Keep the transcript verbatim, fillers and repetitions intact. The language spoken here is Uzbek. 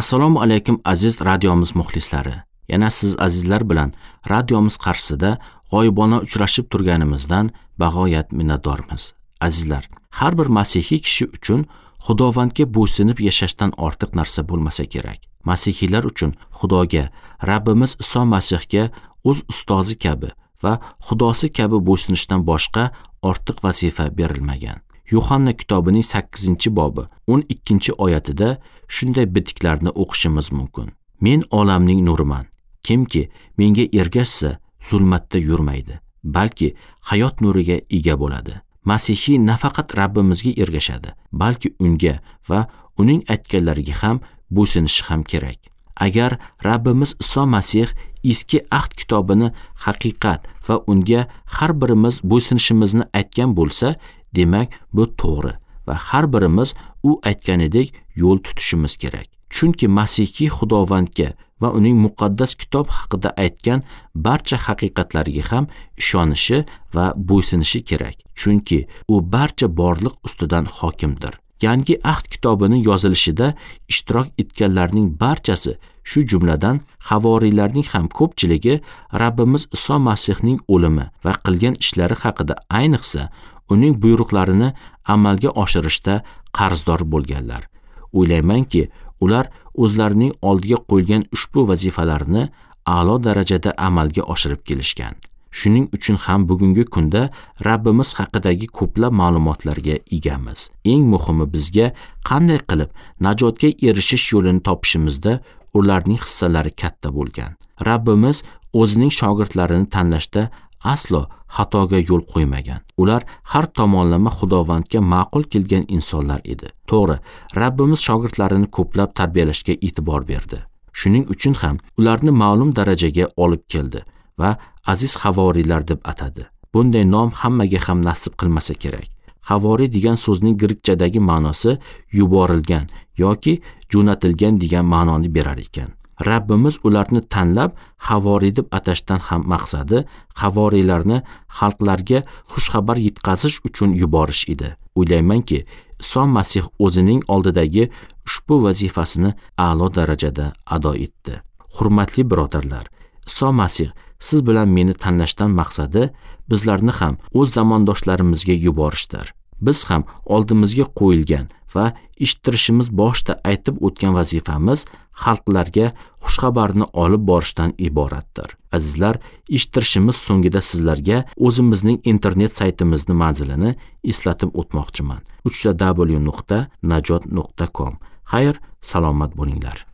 Assalomu alaykum aziz radiomiz muxlislari. Yana siz azizlar bilan radiomiz qarshisida g'oyibona uchrashib turganimizdan bag'oyat minnatdormiz. Azizlar, har bir masihiy kishi uchun Xudovandga bo'ysunib yashashdan ortiq narsa bo'lmasa kerak. Masihiylar uchun Xudoga, Rabbimiz Iso Masihga o'z ustozi kabi va Xudosi kabi bo'ysunishdan boshqa ortiq vazifa berilmagan. Yuhanna kitobining sakkizinchi bobi o'n ikkinchi oyatida shunday bitiklarni o'qishimiz mumkin. Men olamning nuriman. Kimki menga ergashsa, zulmatda yurmaydi, balki hayot nuriga ega bo'ladi. Masihiy nafaqat Rabbimizga ergashadi, balki unga va uning aytganlariga ham bo'ysunishi ham kerak. Agar Rabbimiz Iso Masih Eski Ahd kitobini haqiqat va unga har birimiz bo'ysunishimizni aytgan bo'lsa, demak bu to'g'ri va har birimiz u aytganidek yo'l tutishimiz kerak. Chunki Masihiy Xudovandga va uning muqaddas kitob haqida aytgan barcha haqiqatlariga ham ishonishi va bo'ysunishi kerak. Chunki u barcha borliq ustidan hokimdir. Yangi Ahd kitobining yozilishida ishtirok etganlarning barchasi, shu jumladan havoriylarning ham ko'pchiligi Rabbimiz Iso Masihning o'limi va qilgan ishlari haqida, ayniqsa uning buyruqlarini amalga oshirishda qarzdor bo'lganlar. O'ylaymanki, ular o'zlarining oldiga qo'yilgan ushbu vazifalarni a'lo darajada amalga oshirib kelishgan. Shuning uchun ham bugungi kunda Rabbimiz haqidagi ko'plab ma'lumotlarga egamiz. Eng muhimi, bizga qanday qilib najotga erishish yo'lini topishimizda ularning hissalari katta bo'lgan. Rabbimiz o'zining shogirdlarini tanlashda aslo xatoga yo'l qo'ymagan. Ular har tomonlama Xudovandga ma'qul kelgan insonlar edi. To'g'ri, Rabbimiz shogirdlarini ko'plab tarbiyalashga e'tibor berdi. Shuning uchun ham ularni ma'lum darajaga olib keldi va aziz havoriylar deb atadi. Bunday nom hammaga ham nasib qilmasa kerak. Havoriy degan so'zning grekchadagi ma'nosi yuborilgan yoki jo'natilgan degan ma'noni berar ekan. Rabbimiz ularni tanlab havoriy deb atashdan ham maqsadi havoriylarni xalqlarga xushxabar yetkazish uchun yuborish edi. O'ylaymanki, Iso Masih o'zining oldidagi ushbu vazifasini a'lo darajada ado etdi. Hurmatli birodarlar, Iso Masih siz bilan meni tanlashdan maqsadi bizlarni ham o'z zamondoshlarimizga yuborishdir. Biz ham oldimizga qo'yilgan va eshittirishimiz boshda aytib o'tgan vazifamiz xalqlarga xushxabarni olib borishdan iboratdir. Azizlar, eshittirishimiz so'ngida sizlarga o'zimizning internet saytimizning manzilini eslatib o'tmoqchiman. uch w nuqta najot nuqta com. Xayr, salomat bo'linglar.